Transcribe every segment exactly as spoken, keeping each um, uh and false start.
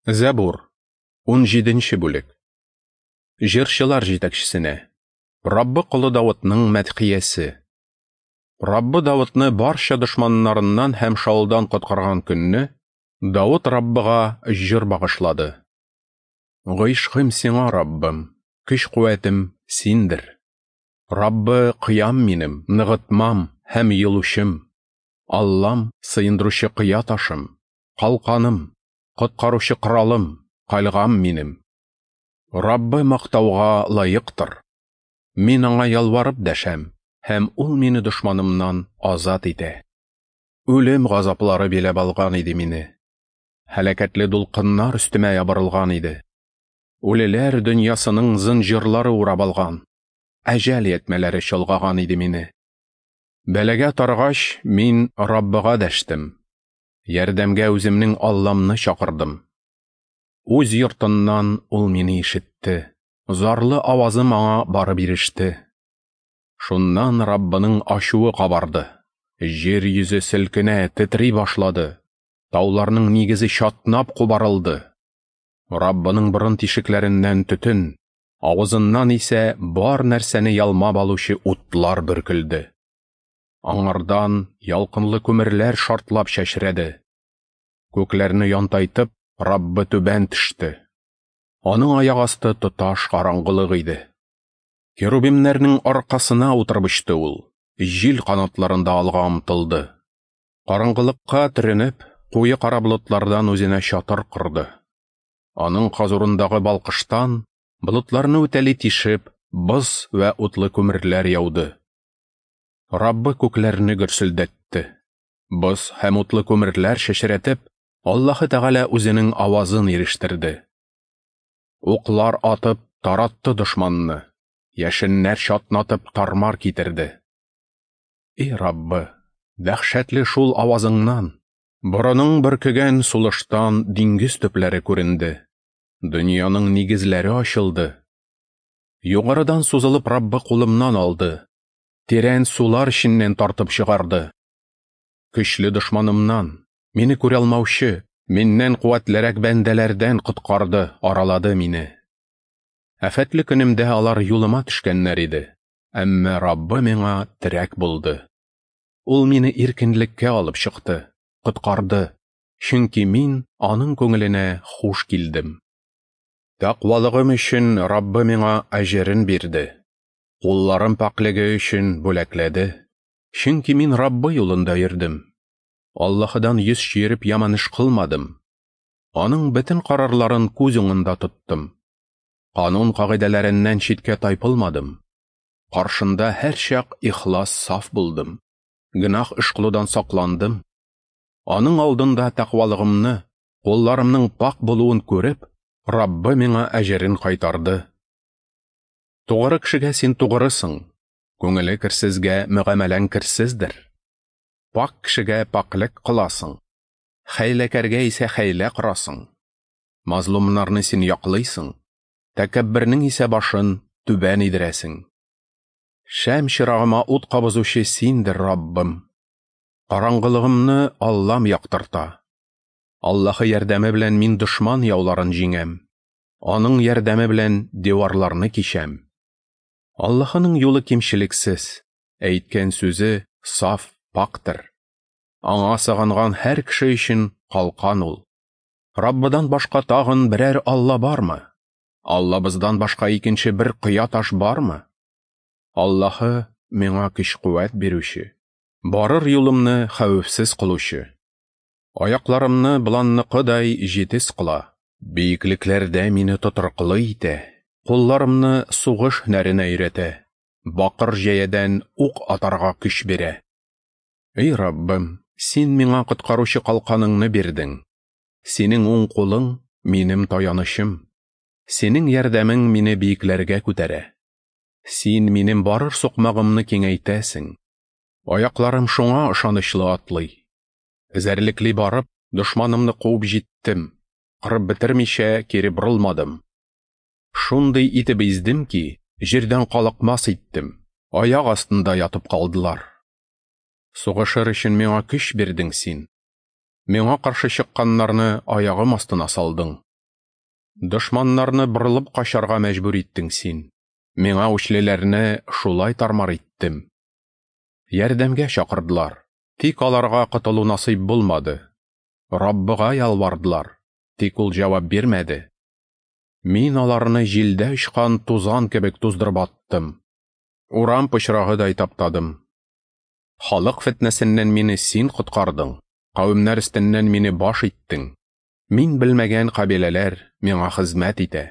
Зәбур, унҗиденче бүлек. Җырчылар җитәкчесенә. Раббы колы Давытның мәдхиясе. Раббы Давытны барча дошманнарыннан һәм Шаулдан коткарган көнне Давыт Раббыга җыр багышлады. Гыйшкым сиңа, Раббым, көч-куәтем синдер. Раббы кыям минем, ныгытмам һәм йолучым. Аллам сыендыручы кыя ташым, калканым, коткаручы коралым, кальгам минем. Раббы мактауга лаектыр. Мин аңа ялварып дәшәм, һәм ул мине дошманымнан азат итә. Үлем газаплары биләп алган иде мине. Һәлакәтле дулкыннар өстемә ябырылган иде. Үлеләр дөньясының зынҗырлары урап алган, әҗәл ятмәләре чолгаган иде мине. Бәлагә таргач, мин Раббыга дәштем. Ярдәмгә үземнең Алламны чакырдым. Үз йортыннан ул мине ишетте. Зарлы авазым аңа барып иреште. Шуннан Раббының ачуы кабарды. Җир йөзе селкенә, тетри башлады. Тауларның нигезе чатнап кубарылды. Раббының борын тишекләреннән төтен, авызыннан исә бар нәрсәне ялмап алучы утлар бөркелде. Аңардан ялкынлы күмерләр шартлап чәчрәде. Күкләрне янтайтып, Раббы түбән төште. Аның аяк асты тоташ караңгылык иде. Керубимнәрнең аркасына утырып очты ул, җил канатларында алга омтылды. Караңгылыкка төренеп, куе кара болытлардан үзенә чатыр корды. Аның хозурындагы балкыштан болытларны үтәли тишеп, боз вә утлы күмерләр яуды. Раббы күкләрне гөрселдәтте. Боз һәм утлы күмерләр чәчрәтеп, Аллаһы Тәгалә үзенең авазын ирештерде. Уклар атып таратты дошманны, яшеннәр чатнатып тармар китерде. Эй Раббы, дәһшәтле шул авазыңнан, борының бөркегән сулыштан диңгез төпләре күренде. Дөньяның нигезләре ачылды. Югарыдан сузылып Раббы кулымнан алды, тирән сулар эченнән тартып чыгарды. Көчле дошманымнан, мине күрә алмаучы, миннән куәтлерәк бәндәләрдән коткарды, аралады мине. Афәтле көнемдә алар юлыма төшкәннәр иде, әмма Раббы миңа терәк булды. Ул мине иркенлеккә алып чыкты, коткарды, чөнки мин аның күңеленә хуш килдем. Тәкъвалыгым өчен Раббы миңа әҗерен бирде. Кулларым пакьлеге өчен бүләкләде. Чөнки мин Раббы юлында йөрдем. Аллаһыдан йөз чөереп яман эш кылмадым. Аның бөтен карарларын күз уңында тоттым. Канун кагыйдәләреннән читкә тайпылмадым. Каршында һәрчак ихлас саф булдым. Гөнаһ эш кылудан сакландым. Аның алдында тәкъвалыгымны, кулларымның пакь булуын күреп, Раббы миңа әҗерен кайтарды. Тугры кешегә син тугрысың, күңеле керсезгә мөгамәләң керсездер. Пакь кешегә пакьлек кыласың, хәйләкәргә исә хәйлә корасың. Мазлумнарны син яклыйсың, тәкәббернең исә башын түбән идерәсең. Шәм чырагыма ут кабызучы синдер, Раббым. Караңгылыгымны Аллам яктырта. Аллаһы ярдәме белән мин дошман яуларын җиңәм. Аның ярдәме белән диварларны кичәм. Аллаһының юлы кимчелексез, әйткән сүзе саф, пакьтыр. Аңа сагынган һәр кеше өчен калкан ул. Раббыдан башка тагын берәр Алла бармы? Аллабыздан башка икенче бер кыя таш бармы? Аллаһы миңа көч-куәт бирүче, барыр юлымны хәвефсез кылучы. Аякларымны боланныкыдай җитез кыла, биеклекләрдә мине тотрыклы итә, кулларымны сугыш һөнәренә өйрәтә, бакыр җәядән ук атарга көч бирә. Эй Раббым, син миңа коткаручы калканыңны бирдең. Синең уң кулың минем таянычым. Синең ярдәмең мине биекләргә күтәрә. Син минем барыр сукмагымны киңәйтәсең. Аякларым шуңа ышанычлы атлый. Эзәрлекли барып, дошманымны куып җиттем, кырып бетермичә кире борылмадым. Шундый итеп издем ки, җирдән калыкмас иттем, аяк астында ятып калдылар. Сугышыр өчен миңа көч бирдең син. Миңа каршы чыкканнарны аягым астына салдың. Дошманнарны борылып качарга мәҗбүр иттең син. Миңа үчлеләрне шулай тармар иттем. Ярдәмгә чакырдылар, тик аларга котылу насыйп булмады. Раббыга ялвардылар, тик ул җавап бирмәде. Мин аларны җилдә очкан тузан кебек туздырып аттым. Урам пычрагыдай таптадым. Халык фетнәсеннән мине син коткардың, кавемнәр өстеннән мине баш иттең. Мин белмәгән кабиләләр миңа хезмәт итә.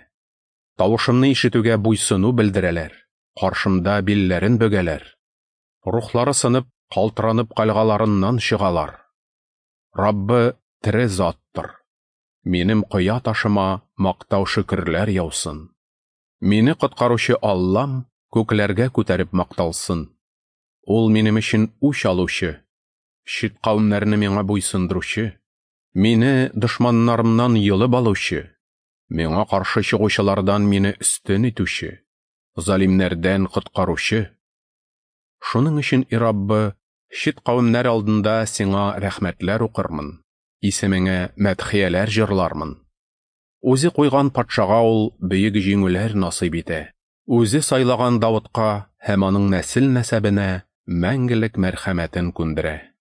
Тавышымны ишетүгә буйсыну белдерәләр, каршымда билләрен бөгәләр. Рухлары сынып, калтыранып кальгаларыннан чыгалар. Раббы тере заттыр. Минем кыя ташыма мактау шөкерләр яусын. Мине коткаручы Аллам күкләргә күтәреп макталсын. Ул минем өчен үч алучы, чит кавемнәрне миңа буйсындыручы, мине дошманнарымнан йолып алучы, миңа каршы чыгучылардан мине өстен итүче, залимнәрдән коткаручы. Шуның өчен, и Раббы, чит кавемнәр алдында сиңа рәхмәтләр укырмын, исемеңә мәдхияләр җырлармын. Үзе куйган патшага ул бөек җиңүләр насыйп итә. Үзе сайлаган Давытка һәм аның нәсел-нәсәбенә мәңгелек мәрхәмәтен күндерә.